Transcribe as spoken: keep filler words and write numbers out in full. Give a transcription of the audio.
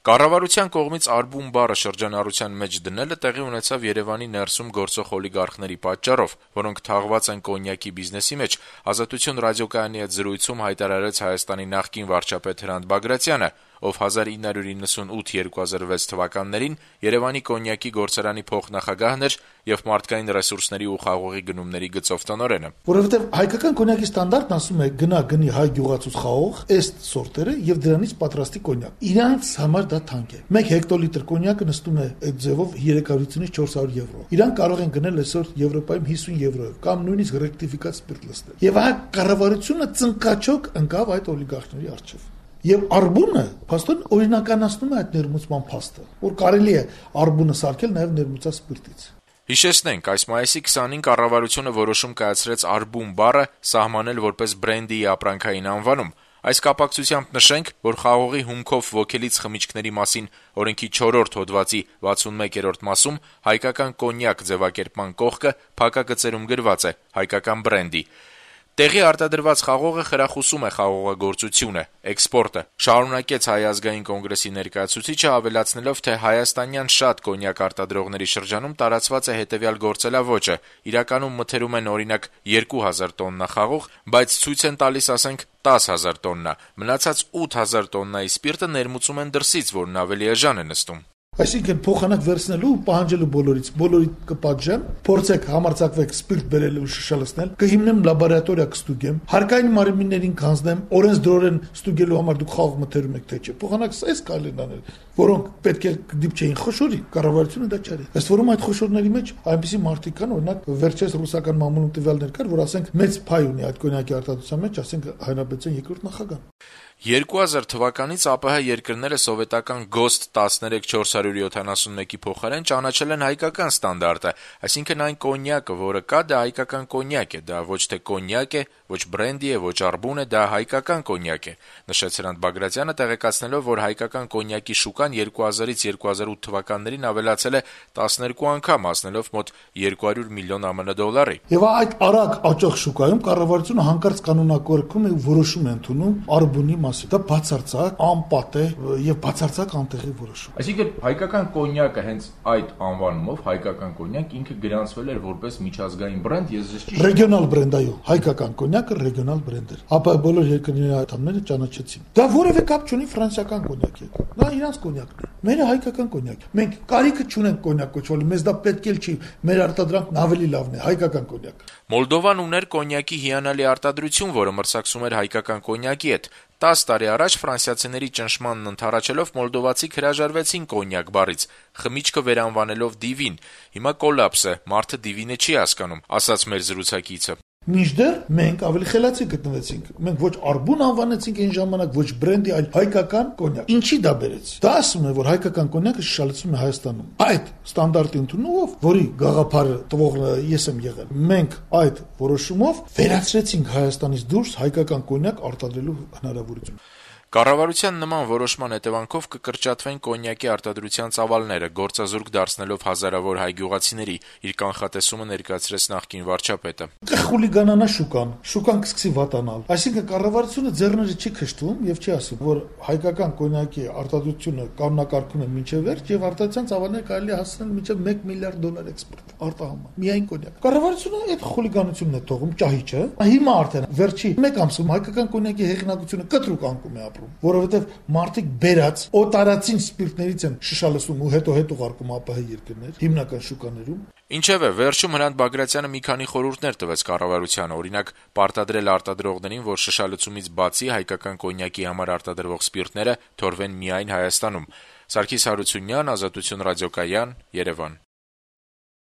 Կառավարության կողմից «արբուն» բառը շրջանառության մեջ դնելը տեղի ունեցավ Երեւանի ներսում գործող օլիգարխների պատճառով, որոնք թաղված են կոնյակի բիզնեսի մեջ, «Ազատություն» ռադիոկայանի հետ զրույցում հայտարարեց Հայաստանի նախկին վարչապետ Հրանտ Բագրատյանը, ով հազար ինը հարյուր իննսունութ - երկու հազար վեց թվականներին Երեւանի կոնյակի գործարանի փոխնախագահն էր եւ մարդկային ռեսուրսների ու խաղողի գնումների գծով տնօրենը։ Որովհետեւ հայկական կոնյակի ստանդարտն ասում է գնա գնի հայ գյուղացուց խաղող, էստ սորտերը եւ դրանից պատրաստի կոնյակ։ Իրանց համար դա թանկ է։ մեկ հեկտոլիտր կոնյակը նստում է այդ ձևով երեք հարյուրից չորս հարյուր եվրո։ Իրանք կարող են գնել այսօր Եվրոպայում հիսուն եվրոյով կամ նույնիսկ ռեկտիֆիկատ սպիրտ լցնել։ Եվ այ կառավարությունը ծնկաչոք ընկավ այդ օլիգարխների առջեւ։ Եվ արբունը փաստորեն օրինականացնում է այդ ներմուծման փաստը, որ կարելի է արբունը սարքել նաեւ ներմուծած սպիրտից։ Հիշեցնենք, այս մայիսի քսանին կառավարությունը որոշում կայացրեց «արբուն» բառը սահմանել որպես բրենդի ապրանքային անվանում։ Այս կապակցությամբ նշենք, որ խաղողի հումքով ոգելից խմիչքների մասին օրենքի չորրորդ հոդվածի վաթսունմեկերորդ մասում հայկական կոնյակ ձևակերպման կողքը փակագծերում գրված է հայկական բրենդի։ Տեղի արտադրված խաղողը խրախուսում է խաղողագործությունը, էքսպորտը, շարունակեց Հայ ազգային կոնգրեսի ներկայացուցիչը, ավելացնելով, թե հայաստանյան շատ կոնյակ արտադրողների շրջանում տարածված է հետեւյալ գործելավոճը. իրականում մթերում են օրինակ երկու հազար տոննա խաղող, բայց ցույց են տալիս, ասենք, տաս հազար տոննա, մնացած ութ հազար տոննայի սպիրտը ներմուծում են դրսից, որն ավելի էժան է նստում։ Այսինքն փոխանակ վերցնելու ու պահանջելու բոլորից, բոլորի կպատժեմ, փորձեք համարձակվեք սպիրտ բերել ու շշալցնել, կհիմնեմ լաբորատորիա կստուգեմ, հարկային մարմիններին կանձնեմ, օրենսդրորեն ստուգելու համար դուք խաղ մթերում եք թե չէ։ Փոխանակ այս կարելի անել, որոնք պետք է դիպչեին խոշորի, կառավարությունը դա չարի։ Ըստ որում այդ խոշորների մեջ այնպիսի մարդիկ կան, օրինակ վերջերս ռուսական մամուլում տվյալներ կար, որ ասենք մեծ փայ ունի այդ կոնյակի արտադրության մեջ, ասենք Հայնաբեդյան երկրորդ նախագահան։ երկու հազար թվականից ԱՊՀ երկրները սովետական գոստ տասներեք չորս հարյուր յոթանասունմեկի փոխարեն ճանաչել են հայկական ստանդարտը, այսինքն այն կոնյակը, որը կա, դա հայկական կոնյակ է, դա ոչ թե կոնյակ է, ոչ բրենդի է, ոչ արբուն է, դա հայկական կոնյակ է, նշեց Հրանտ Բագրատյանը, տեղեկացնելով, որ հայկական կոնյակի շուկան երկու հազարից երկու հազար ութ թվականներին ավելացել է տասներկու անգամ, հասնելով մոտ երկու հարյուր միլիոն ԱՄՆ դոլարի։ Եվ այդ արագ աճող շուկայում կառավարությունը հանկարծ կանոնակարգում է ու որոշում է ընդունում արբունի դա բացարձակ անպատ է եւ բացարձակ անտեղի որոշում։ Այսինքն հայկական կոնյակը հենց այդ անվանումով հայկական կոնյակ ինքը գրանցվել էր որպես միջազգային բրենդ, ես ես ճիշտ ռեգիոնալ բրենդ, այո, հայկական կոնյակը ռեգիոնալ բրենդ էր։ Ապա բոլոր երկրների անդամները ճանաչեցին։ Դա որևէ կապ չունի ֆրանսիական կոնյակի հետ։ Դա իրանց կոնյակն է։ Մերը հայկական կոնյակ։ Մենք կարիքը չունենք կոնյակ կոչվելու, մեզ դա պետք էլ չի։ Մեր արտադրանքն ավելի լավն է, հայկական կոնյակ։ Մոլդովան ուներ կոնյակի հիանալի արտադրություն, որը մրցակցում էր հայկական կոնյակի հետ։ տասը տարի առաջ ֆրանսիացիների ճնշմանն ընդառաջելով մոլդովացիք հրաժարվեցին կոնյակ բառից, խմիչքը վերանվանելով դիվին։ Հիմա կոլապս է, մարդը դիվինը չի հասկանում, ասաց մեր զրուցակիցը։ Մինչդեռ մենք ավելի խելացի գտնվեցինք։ Մենք ոչ արբուն անվանեցինք այն ժամանակ, ոչ բրենդի, այլ հայկական կոնյակ։ Ինչի դա բերեց։ Դա ասում է, որ հայկական կոնյակը շշալցվում է Հայաստանում։ Այդ ստանդարտի ընդունումով, որի գաղափարը տվողը ես եմ եղել, մենք այդ որոշումով վերացրեցինք Հայաստանից դուրս հայկական կոնյակ արտադրելու հնարավորություն։ Կառավարության նման որոշման հետևանքով կկրճատվեն կոնյակի արտադրության ծավալները, գործազուրկ դարձնելով հազարավոր հայ գյուղացիների, իր կանխատեսումը ներկայացրեց նախկին վարչապետը։ Կխուլիգանանա շուկան, շուկան կսկսի վատանալ։ Այսինքն կառավարությունը ձեռները չի քշտում եւ չի ասում, որ հայկական կոնյակի արտադրությունը կանոնակարգում է մինչեւ վերջ եւ արտադրության ծավալները կարելի է հասցնել մինչեւ մեկ միլիարդ դոլար էքսպորտ արտահանման։ Միայն կոնյակ։ Կառավարությունը այդ խուլիգանությունն է թողում, ճահիճը։ Հիմա արդեն վերջի մեկ ամսում հայկական կոնյակի հեղինակությունը կտրուկ անկում է ապրում, որովհետեւ մարդիկ բերած օտարացին սպիրտներից են շշալցում ու հետո հետ ուղարկում ԱՊՀ երկրներ, հիմնական շուկաներում։ Ինչևէ, վերջում Հրանտ Բագրատյանը մի քանի խորհուրդներ տվեց կառավարությանը, օրինակ, պարտադրել արտադրողներին, որ շշալցումից բացի հայկական կոնյակի համար արտադրվող սպիրտները թորվեն միայն Հայաստանում։ Սարգիս Հարությունյան, Ազատություն ռադիոկայան, Երևան։